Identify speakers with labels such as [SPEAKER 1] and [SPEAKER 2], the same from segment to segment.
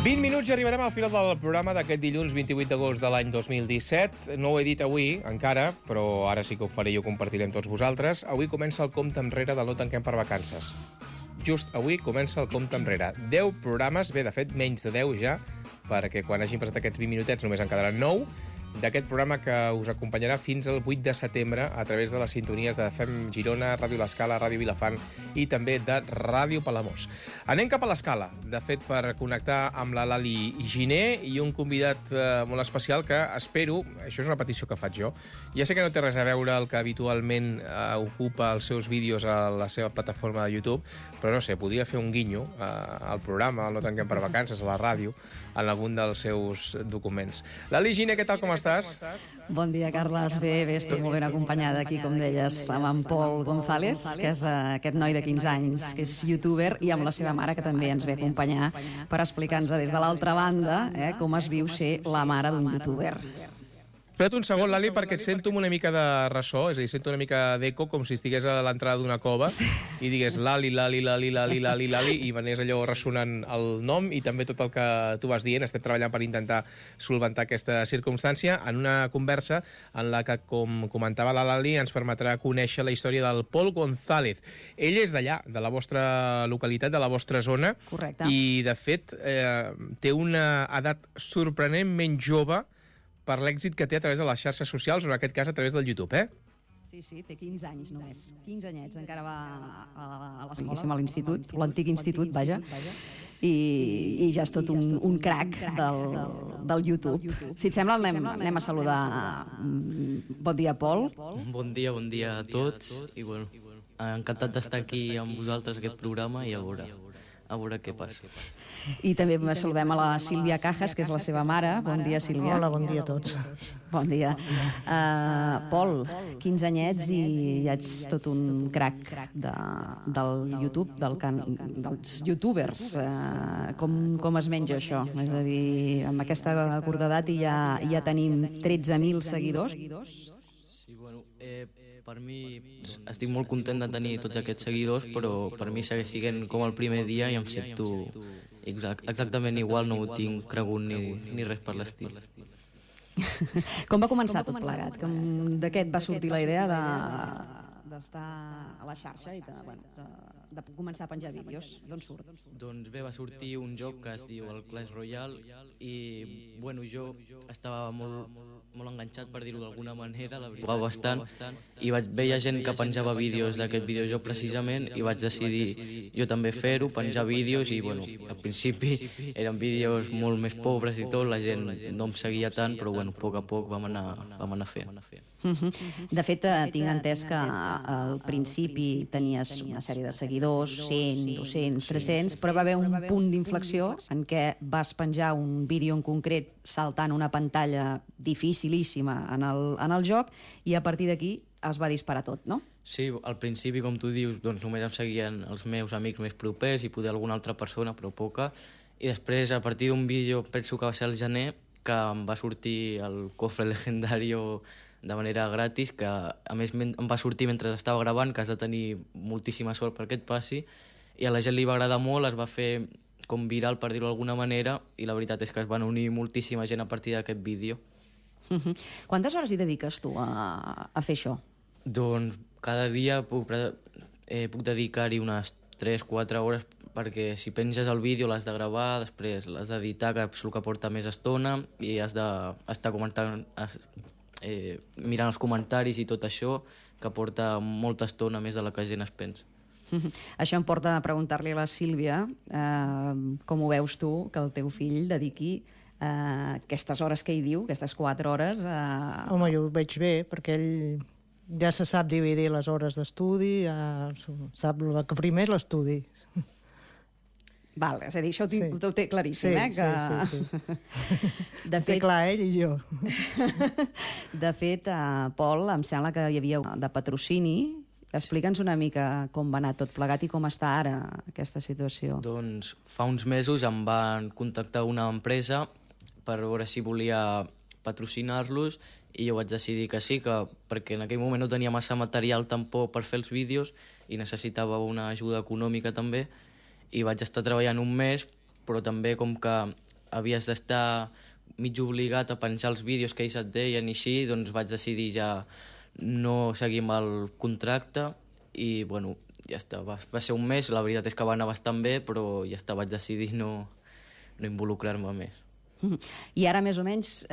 [SPEAKER 1] 20 minuts i arribarem al final del programa d'aquest dilluns 28 d'agost de l'any 2017. No ho he dit avui, encara, però ara sí que ho faré i ho compartiré amb tots vosaltres. Avui comença el compte enrere del No tanquem per vacances. Just avui comença el compte enrere. 10 programes, bé, de fet, menys de 10 ja, perquè quan hagin passat aquests 20 minutets només en quedaran 9, d'aquest programa que us acompanyarà fins al 8 de setembre a través de les sintonies de FM Girona, Ràdio L'Escala, Ràdio Vilafant i també de Ràdio Palamós. Anem cap a l'Escala, de fet, per connectar amb la Lali Giner i un convidat molt especial que espero, això és una petició que faig jo, ja sé que no té res a veure el que habitualment ocupa els seus vídeos a la seva plataforma de YouTube, però no sé, podria fer un guinyo al programa, al No tanquem per vacances, a la ràdio, en algun dels seus documents. Lali Giner, què tal, com estàs?
[SPEAKER 2] Bon dia, Carles. Bé, estic molt ben acompanyada aquí, com deies, amb en Pol González, que és aquest noi de 15 anys, que és youtuber, i amb la seva mare, que també ens ve a acompanyar per explicar-nos des de l'altra banda com es viu ser la mare d'un youtuber.
[SPEAKER 1] Espera't un segon, Lali, perquè et sento una mica de ressò, és a dir, sento una mica d'eco, com si estigués a l'entrada d'una cova i digués Lali, Lali, Lali, Lali, Lali, Lali, i m'anés allò ressonant el nom i també tot el que tu vas dient. Estem treballant per intentar solventar aquesta circumstància en una conversa en la que, com comentava la Lali, ens permetrà conèixer la història del Pol González. Ell és d'allà, de la vostra localitat, de la vostra zona.
[SPEAKER 2] Correcte.
[SPEAKER 1] I, de fet, té una edat sorprenentment jove per l'èxit que té a través de les xarxes socials, o en aquest cas a través del YouTube,
[SPEAKER 2] Sí, té 15 anys només. 15 anyets, encara va a l'escola, a l'institut, l'antic institut, vaja, i ja és tot un crac del YouTube. Si et sembla, anem a saludar. Bon dia, Pol.
[SPEAKER 3] Bon dia a tots, i bueno, encantat d'estar aquí amb vosaltres aquest programa i a veure què passa.
[SPEAKER 2] I també saludem a la Sílvia Cajas, que és la seva mare. Bon dia, Sílvia.
[SPEAKER 4] Hola, bon dia a tots.
[SPEAKER 2] Bon dia. Pol, 15 anyets i ja ets tot un crac del YouTube, dels youtubers. Com es menja això? És a dir, amb aquesta curta edat ja tenim 13.000 seguidors.
[SPEAKER 3] Sí, bueno, per mi estic molt content de tenir tots aquests seguidors, però per mi segueix sent com el primer dia i em sento exactament igual, no ho tinc cregut ni res per l'estil.
[SPEAKER 2] Com va començar tot plegat? De què et va sortir la idea d'estar a la xarxa i de començar a penjar vídeos? D'on surt?
[SPEAKER 3] Doncs bé, va sortir un joc que es diu el Clash Royale i bueno, jo estava molt enganxat, per dir-ho d'alguna manera, la veritat, bastant, i vaig veure gent que penjava vídeos d'aquest videojoc precisament i vaig decidir jo també fer-ho, penjar vídeos, i bueno, al principi eren vídeos molt més pobres i tot, la gent no em seguia tant, però bueno, a poc vam anar fent.
[SPEAKER 2] De fet, tinc entès que al principi tenies una sèrie de seguidors, 100, 200, 300, però va haver un punt d'inflexió en què vas penjar un vídeo en concret saltant una pantalla dificilíssima en el joc i a partir d'aquí es va disparar tot, no?
[SPEAKER 3] Sí, al principi, com tu dius, doncs només em seguien els meus amics més propers i poder alguna altra persona, però poca, i després, a partir d'un vídeo, penso que va ser al gener, que em va sortir el cofre legendario de manera gratis, que a més em va sortir mentre estava gravant, que has de tenir moltíssima sort perquè et passi, i a la gent li va agradar molt, es va fer com viral, per dir-ho d'alguna manera, i la veritat és que es van unir moltíssima gent a partir d'aquest vídeo.
[SPEAKER 2] Quantes hores hi dediques tu a fer això?
[SPEAKER 3] Doncs cada dia puc dedicar-hi unes 3-4 hores, perquè si penges el vídeo l'has de gravar, després l'has d'editar, que és el que porta més estona, i has d'estar comentant, mirant els comentaris i tot això, que porta molta estona més de la que la gent es pensa.
[SPEAKER 2] Això em porta a preguntar-li a la Sílvia com ho veus tu, que el teu fill dediqui aquestes hores que hi diu, aquestes 4 hores...
[SPEAKER 4] Home, jo ho veig bé, perquè ell ja se sap dividir les hores d'estudi, sap que primer és l'estudi.
[SPEAKER 2] Val, és a dir, això ho té claríssim,
[SPEAKER 4] sí.
[SPEAKER 2] De fet,
[SPEAKER 4] té clar ell i jo.
[SPEAKER 2] De fet, Pol, em sembla que hi havia de patrocini. Explica'ns una mica com va anar tot plegat i com està ara aquesta situació.
[SPEAKER 3] Doncs fa uns mesos em van contactar una empresa per veure si volia patrocinar-los i jo vaig decidir que sí, perquè en aquell moment no tenia massa material tampoc per fer els vídeos i necessitava una ajuda econòmica també, i vaig estar treballant un mes, però també com que havies d'estar mig obligat a penjar els vídeos que ells et deien i així, doncs vaig decidir ja no seguir amb el contracte i, bueno, ja està. Va ser un mes, la veritat és que va anar bastant bé, però ja està, vaig decidir no involucrar-me més.
[SPEAKER 2] I ara, més o menys,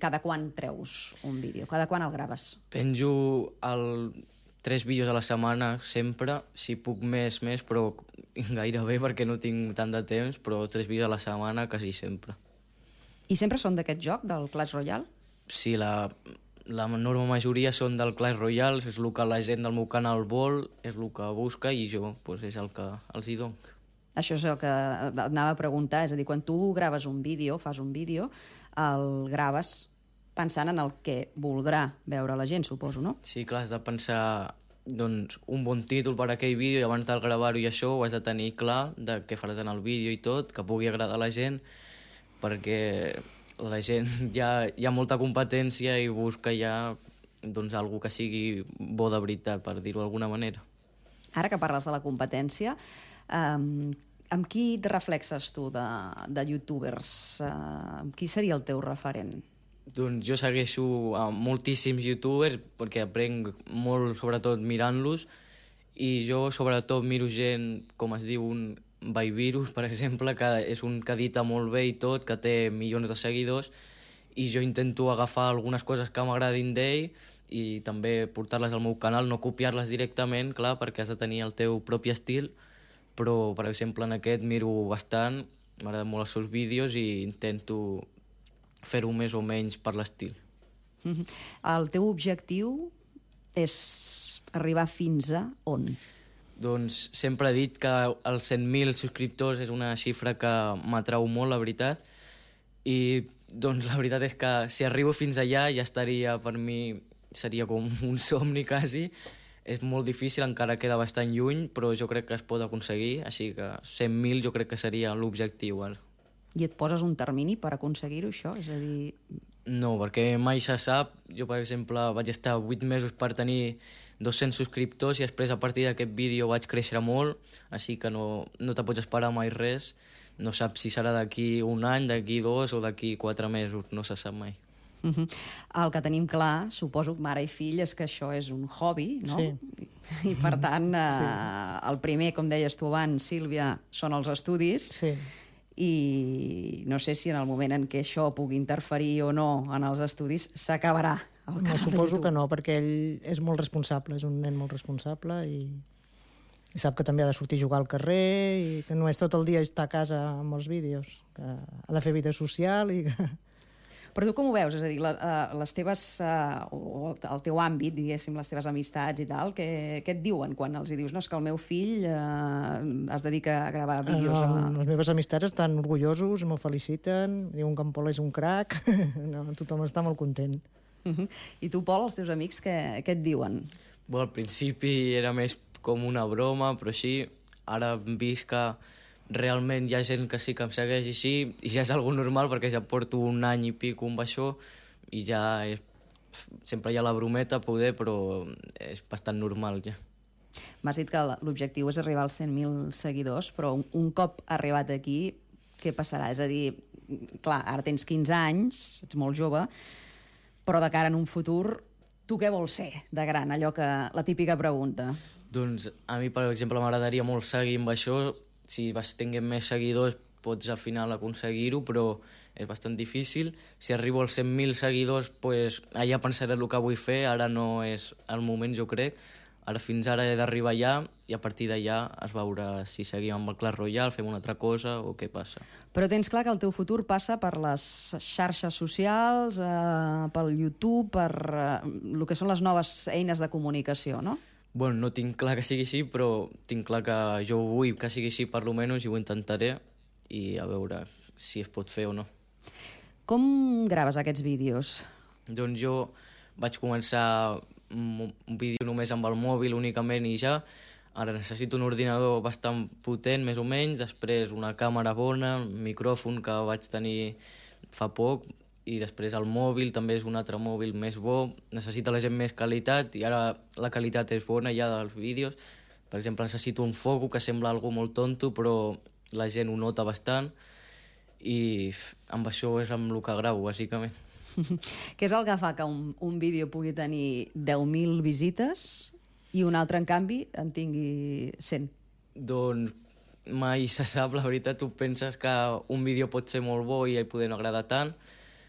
[SPEAKER 2] cada quan treus un vídeo? Cada quan el graves?
[SPEAKER 3] Penjo 3 vídeos a la setmana sempre, si puc més, però gairebé perquè no tinc tant de temps, però 3 vídeos a la setmana quasi sempre.
[SPEAKER 2] I sempre són d'aquest joc, del Clash Royale?
[SPEAKER 3] Sí, la enorme majoria són del Clash Royale, és el que la gent del meu canal vol, és el que busca i jo és el que els hi dono.
[SPEAKER 2] Això és el que anava a preguntar, és a dir, quan tu graves un vídeo, fas un vídeo, el graves pensant en el que voldrà veure la gent, suposo, no?
[SPEAKER 3] Sí, clar, has de pensar doncs, un bon títol per a aquell vídeo i abans de gravar-ho i això ho has de tenir clar de què faràs en el vídeo i tot, que pugui agradar a la gent, perquè la gent ja hi ha molta competència i busca ja doncs, algú que sigui bo de veritat, per dir-ho d'alguna manera.
[SPEAKER 2] Ara que parles de la competència, amb qui et reflexes tu de youtubers? Qui seria el teu referent?
[SPEAKER 3] Doncs jo segueixo a moltíssims youtubers perquè aprenc molt, sobretot mirant-los, i jo sobretot miro gent, com es diu, un Byvirus, per exemple, que és un que edita molt bé i tot, que té milions de seguidors, i jo intento agafar algunes coses que m'agradin d'ell i també portar-les al meu canal, no copiar-les directament, clar, perquè has de tenir el teu propi estil, però, per exemple, en aquest miro bastant, m'agraden molt els seus vídeos i intento fer-ho més o menys per l'estil.
[SPEAKER 2] El teu objectiu és arribar fins a on?
[SPEAKER 3] Doncs sempre he dit que els 100.000 subscriptors és una xifra que m'atrau molt, la veritat, i doncs la veritat és que si arribo fins allà ja estaria, per mi, seria com un somni quasi. És molt difícil, encara queda bastant lluny, però jo crec que es pot aconseguir, així que 100.000 jo crec que seria l'objectiu.
[SPEAKER 2] I et poses un termini per aconseguir-ho, això? És a dir...
[SPEAKER 3] No, perquè mai se sap. Jo, per exemple, vaig estar 8 mesos per tenir 200 subscriptors i després a partir d'aquest vídeo vaig créixer molt, així que no te pots esperar mai res. No saps si serà d'aquí un any, d'aquí 2 o d'aquí 4 mesos, no se sap mai.
[SPEAKER 2] El que tenim clar, suposo, mare i fill, és que això és un hobby, no?
[SPEAKER 4] Sí.
[SPEAKER 2] I per tant, el primer, com deies tu abans, Sílvia, són els estudis,
[SPEAKER 4] Sí.
[SPEAKER 2] I no sé si en el moment en què això pugui interferir o no en els estudis s'acabarà el canal de
[SPEAKER 4] Suposo
[SPEAKER 2] YouTube.
[SPEAKER 4] que no, perquè ell és molt responsable, és un nen molt responsable i sap que també ha de sortir a jugar al carrer i que no és tot el dia estar a casa amb els vídeos, que ha de fer vida social i que...
[SPEAKER 2] Però tu com ho veus? És a dir, les teves, o el teu àmbit, diguéssim, les teves amistats i tal, què et diuen quan els hi dius no, és que el meu fill es dedica a gravar vídeos?
[SPEAKER 4] Les meves amistats estan orgullosos, m'ho feliciten, diuen que en Pol és un crac, no, tothom està molt content.
[SPEAKER 2] I tu, Pol, els teus amics, què et diuen?
[SPEAKER 3] Bé, al principi era més com una broma, però així, ara hem vist que realment hi ha gent que sí que em segueix així i ja és algo normal perquè ja porto un any i pico amb això i ja sempre hi ha la brometa poder, però és bastant normal ja.
[SPEAKER 2] M'has dit que l'objectiu és arribar als 100.000 seguidors, però un cop arribat aquí, què passarà? És a dir, clar, ara tens 15 anys, ets molt jove, però de cara en un futur, tu què vols ser de gran? Allò que la típica pregunta.
[SPEAKER 3] Doncs a mi, per exemple, m'agradaria molt seguir amb això. Si tinguem més seguidors pots al final aconseguir-ho, però és bastant difícil. Si arribo als 100.000 seguidors, pues, allà pensaré el que vull fer, ara no és el moment, jo crec. Ara fins ara he d'arribar allà i a partir d'allà es veurà si seguim amb el Clash Royale, fem una altra cosa o què passa.
[SPEAKER 2] Però tens clar que el teu futur passa per les xarxes socials, pel YouTube, per el que són les noves eines de comunicació, no?
[SPEAKER 3] Bueno, no tinc clar que sigui així, però tinc clar que jo vull que sigui així per lo menys i ho intentaré i a veure si es pot fer o no.
[SPEAKER 2] Com graves aquests vídeos?
[SPEAKER 3] Doncs jo vaig començar un vídeo només amb el mòbil únicament i ja. Ara necessito un ordinador bastant potent, més o menys, després una càmera bona, un micròfon que vaig tenir fa poc, i després el mòbil també és un altre mòbil més bo, necessita la gent més qualitat i ara la qualitat és bona ja dels vídeos. Per exemple, necessito un foco que sembla algo molt tonto però la gent ho nota bastant i amb això és amb el que gravo, bàsicament.
[SPEAKER 2] Què és el que fa que un vídeo pugui tenir 10.000 visites i un altre, en canvi, en tingui 100?
[SPEAKER 3] Doncs mai se sap, la veritat. Tu penses que un vídeo pot ser molt bo i poder no agradar tant,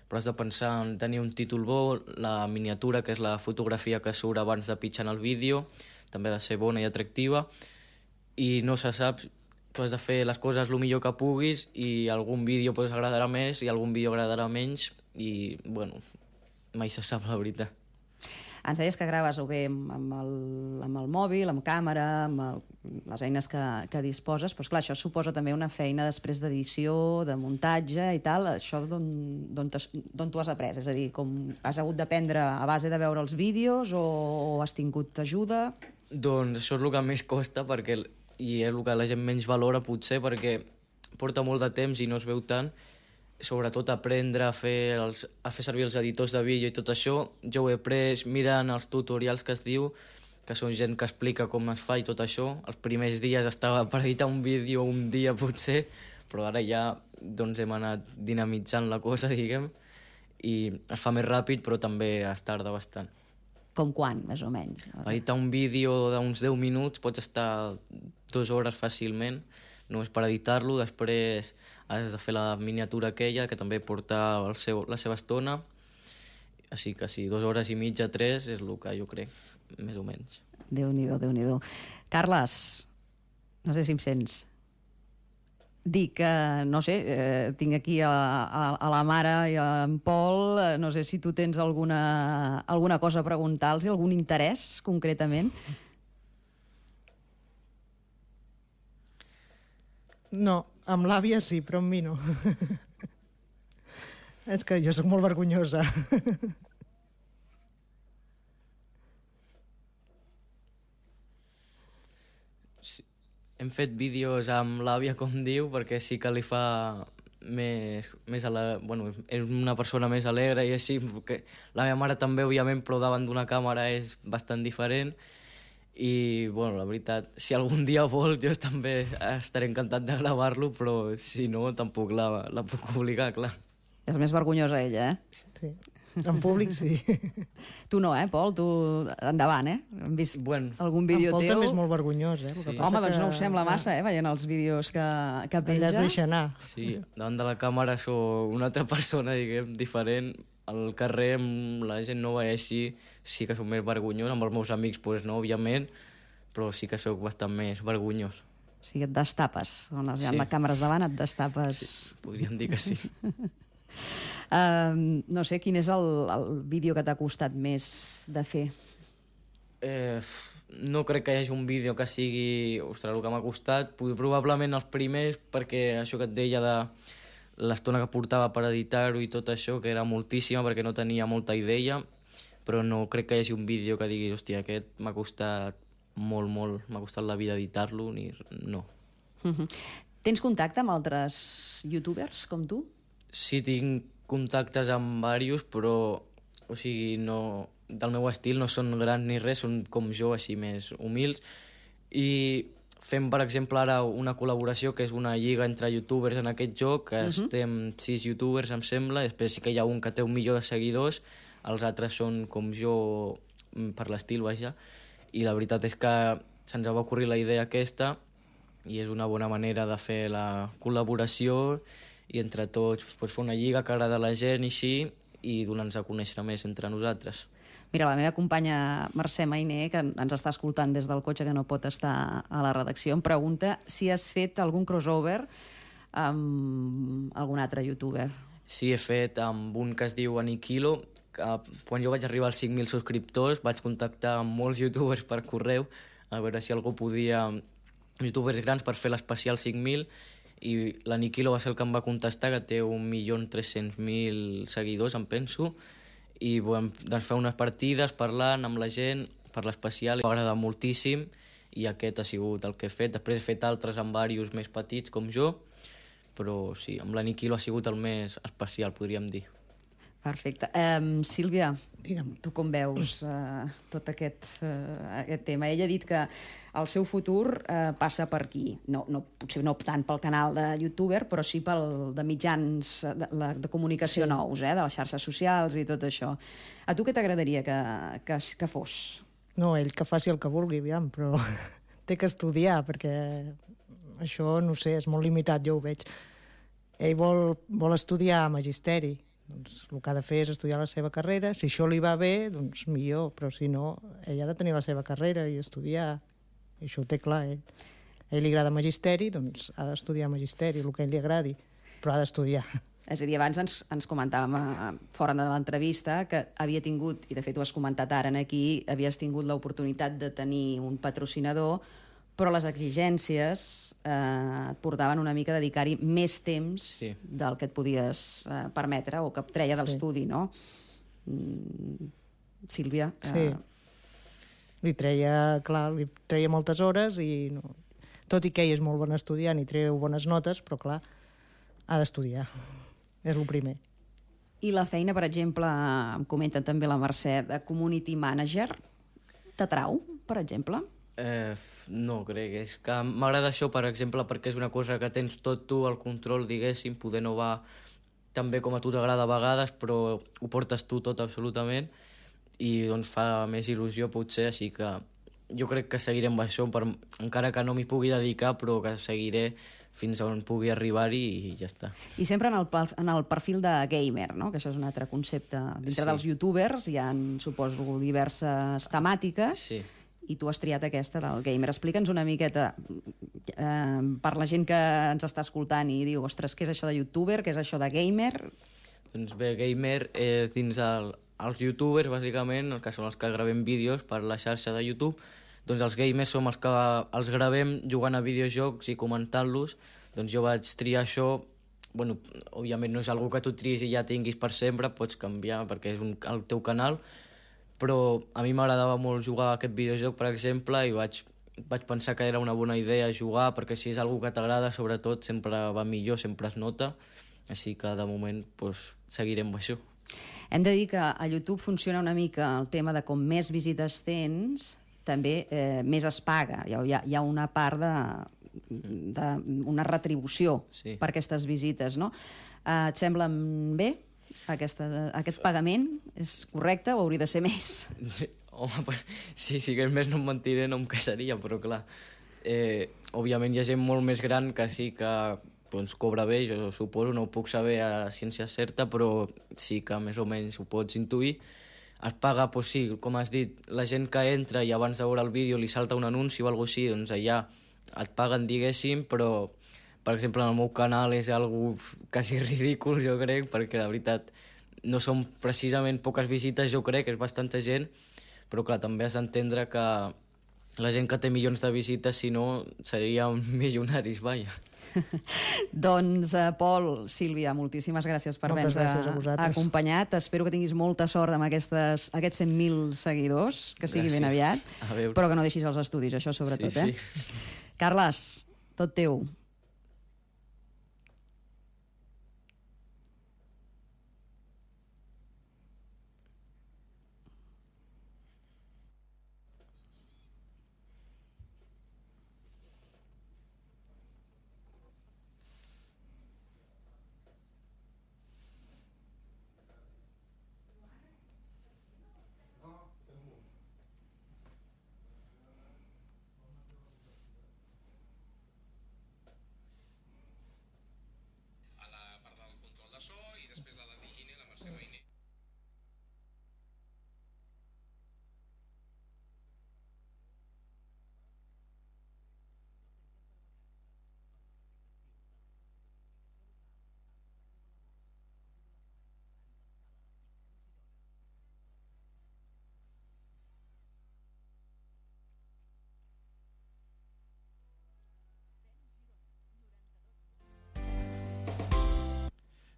[SPEAKER 3] però has de pensar en tenir un títol bo, la miniatura, que és la fotografia que surt abans de pitjar en el vídeo, també ha de ser bona i atractiva, i no se sap, tu has de fer les coses el millor que puguis i algun vídeo pues, agradarà més i algun vídeo agradarà menys i, bueno, mai se sap la veritat.
[SPEAKER 2] Ens deies que graves o bé amb el mòbil, amb càmera, amb les eines que disposes, però clar, això suposa també una feina després d'edició, de muntatge i tal. Això d'on t'ho has après? És a dir, com has hagut d'aprendre a base de veure els vídeos o has tingut ajuda?
[SPEAKER 3] Doncs això és el que més costa i és el que la gent menys valora potser perquè porta molt de temps i no es veu tant. Sobretot aprendre a fer servir els editors de vídeo i tot això. Jo ho he après mirant els tutorials que es diu, que són gent que explica com es fa i tot això. Els primers dies estava per editar un vídeo un dia potser, però ara ja doncs, hem anat dinamitzant la cosa, diguem, i es fa més ràpid, però també es tarda bastant.
[SPEAKER 2] Com quan, més o menys?
[SPEAKER 3] Per editar un vídeo d'uns 10 minuts pots estar 2 hores fàcilment, només per editar-lo. Després has de fer la miniatura aquella, que també porta la seva estona. Així que sí, 2 hores i mitja, 3, és el que jo crec, més o menys.
[SPEAKER 2] Déu-n'hi-do, Déu-n'hi-do. Carles, no sé si em sents. Dic que, no sé, tinc aquí a la mare i a en Pol, no sé si tu tens alguna cosa a preguntar-los, algun interès, concretament.
[SPEAKER 4] No, amb l'àvia sí, però amb mi no. És que jo sóc molt vergonyosa.
[SPEAKER 3] Sí. Hem fet vídeos amb l'àvia, com diu, perquè sí que li fa més bueno, és una persona més alegre i així, perquè la meva mare també, òbviament, però davant d'una càmera és bastant diferent. I, bueno, la veritat, si algun dia vol, jo també estaré encantat de gravar-lo, però si no, tampoc la puc obligar, clar.
[SPEAKER 2] És més vergonyosa ella,
[SPEAKER 4] Sí, en públic sí.
[SPEAKER 2] Tu no, Pol? Tu endavant, Hem vist algun vídeo
[SPEAKER 4] teu. En Pol
[SPEAKER 2] teu.
[SPEAKER 4] també és molt vergonyós,
[SPEAKER 3] Sí.
[SPEAKER 2] Home, doncs no ho sembla massa, veient els vídeos que penja.
[SPEAKER 4] Allà es deixa anar.
[SPEAKER 3] Sí, davant de la càmera sóc una altra persona, diguem, diferent. Al carrer amb la gent nova i així sí que soc més vergonyós, amb els meus amics pues no, òbviament, però sí que sóc bastant més vergonyós.
[SPEAKER 2] O sigui, et destapes. Quan hi ha
[SPEAKER 3] Sí.
[SPEAKER 2] càmeres davant, et destapes.
[SPEAKER 3] Sí, podríem dir que sí.
[SPEAKER 2] No sé, quin és el vídeo que t'ha costat més de fer?
[SPEAKER 3] No crec que hi hagi un vídeo que sigui, ostres, el que m'ha costat. Probablement els primers, perquè això que et deia de l'estona que portava per editar-ho i tot això, que era moltíssima perquè no tenia molta idea, però no crec que hi hagi un vídeo que diguis, hòstia, aquest m'ha costat molt, molt, m'ha costat la vida editar-lo, no.
[SPEAKER 2] Tens contacte amb altres youtubers com tu?
[SPEAKER 3] Sí, tinc contactes amb diversos, però, o sigui, no, del meu estil no són grans ni res, són com jo, així més humils, i fem, per exemple, ara una col·laboració que és una lliga entre youtubers en aquest joc, que estem 6 youtubers, em sembla, i després sí que hi ha un que té 1 milió de seguidors, els altres són com jo, per l'estil, vaja, i la veritat és que se'ns va ocorrir la idea aquesta i és una bona manera de fer la col·laboració i entre tots pues, fer una lliga que agrada a la gent i així, i donar-nos a conèixer més entre nosaltres.
[SPEAKER 2] Mira, la meva companya Mercè Mainer, que ens està escoltant des del cotxe, que no pot estar a la redacció, em pregunta si has fet algun crossover amb algun altre youtuber.
[SPEAKER 3] Sí, he fet amb un que es diu Aniquilo, que quan jo vaig arribar als 5.000 subscriptors vaig contactar amb molts youtubers per correu a veure si algú podia, youtubers grans, per fer l'especial 5.000, i l'Aniquilo va ser el que em va contestar, que té 1.300.000 seguidors, em penso, i vam fer unes partides parlant amb la gent per l'especial, m'ha agradat moltíssim i aquest ha sigut el que he fet. Després he fet altres amb diversos més petits com jo, però sí, amb l'Aniquilo ha sigut el més especial, podríem dir.
[SPEAKER 2] Perfecte. Sílvia,
[SPEAKER 4] Digue'm.
[SPEAKER 2] tu com veus tot aquest tema? Ella ha dit que el seu futur passa per aquí. Potser no tant pel canal de youtuber, però sí pel de mitjans de comunicació nous, de les xarxes socials i tot això. A tu què t'agradaria que fos?
[SPEAKER 4] No, ell que faci el que vulgui, aviam, però té que estudiar, perquè això, no sé, és molt limitat, jo ho veig. Ell vol estudiar magisteri. Doncs el que ha de fer és estudiar la seva carrera. Si això li va bé, doncs millor, però si no, ell ha de tenir la seva carrera i estudiar. I això ho té clar, ell. A ell li agrada magisteri, doncs ha d'estudiar magisteri, el que a ell li agradi, però ha d'estudiar.
[SPEAKER 2] És a dir, abans ens comentàvem fora de l'entrevista que havia tingut, i de fet ho has comentat ara aquí, havies tingut l'oportunitat de tenir un patrocinador, però les exigències et portaven una mica a dedicar-hi més temps del que et podies permetre o que et treia de l'estudi, no? Sílvia?
[SPEAKER 4] Sí. Li treia moltes hores i no. Tot i que ell és molt bon estudiant i treu bones notes, però clar, ha d'estudiar. És el primer.
[SPEAKER 2] I la feina, per exemple, em comenta també la Mercè, de community manager, t'atrau, per exemple?
[SPEAKER 3] No, crec. És que m'agrada això, per exemple, perquè és una cosa que tens tot tu, el control, diguéssim, poder no va tan bé com a tu t'agrada a vegades, però ho portes tu tot absolutament i doncs fa més il·lusió potser, així que jo crec que seguiré amb això, encara que no m'hi pugui dedicar, però que seguiré fins on pugui arribar-hi i ja està.
[SPEAKER 2] I sempre en el perfil de gamer, no? Que això és un altre concepte. Dintre dels youtubers hi ha, suposo, diverses temàtiques.
[SPEAKER 3] Sí.
[SPEAKER 2] I tu has triat aquesta del gamer. Explica'ns una miqueta, per la gent que ens està escoltant i diu, ostres, què és això de youtuber, què és això de gamer?
[SPEAKER 3] Doncs bé, gamer és dins els youtubers, bàsicament, que són els que gravem vídeos per la xarxa de YouTube. Doncs els gamers som els que els gravem jugant a videojocs i comentant-los. Doncs jo vaig triar això. Bueno, òbviament no és algo que tu triïs i ja tinguis per sempre, pots canviar perquè és el teu canal, però a mi m'agradava molt jugar a aquest videojoc, per exemple, i vaig pensar que era una bona idea jugar, perquè si és algo que t'agrada, sobretot, sempre va millor, sempre es nota, així que de moment seguirem amb això.
[SPEAKER 2] Hem de dir que a YouTube funciona una mica el tema de com més visites tens, també més es paga. Hi ha una part d'una retribució per aquestes visites, no? Et sembla bé? Aquest pagament és correcte o hauria de ser més?
[SPEAKER 3] Home, si sigués més no em mentiré, no em queixaria, però clar, òbviament hi ha gent molt més gran que sí que cobra bé, jo suposo, no ho puc saber a ciència certa, però sí que més o menys ho pots intuir. Es paga, sí, com has dit, la gent que entra i abans de veure el vídeo li salta un anunci o alguna cosa així, doncs allà et paguen, diguéssim, però per exemple, en el meu canal és algo quasi ridícul, jo crec, perquè la veritat no són precisament poques visites, jo crec, és bastanta gent, però clar, també has d'entendre que la gent que té milions de visites, si no, serien milionaris, vaja.
[SPEAKER 2] Doncs, Pol, Sílvia, moltíssimes gràcies per haver-nos acompanyat. Espero que tinguis molta sort amb aquests 100.000 seguidors, que sigui ben aviat, però que no deixis els estudis, això sobretot. Sí. Carles, tot teu.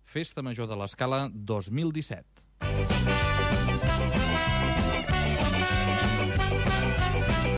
[SPEAKER 5] Festa Major de l'Escala 2017.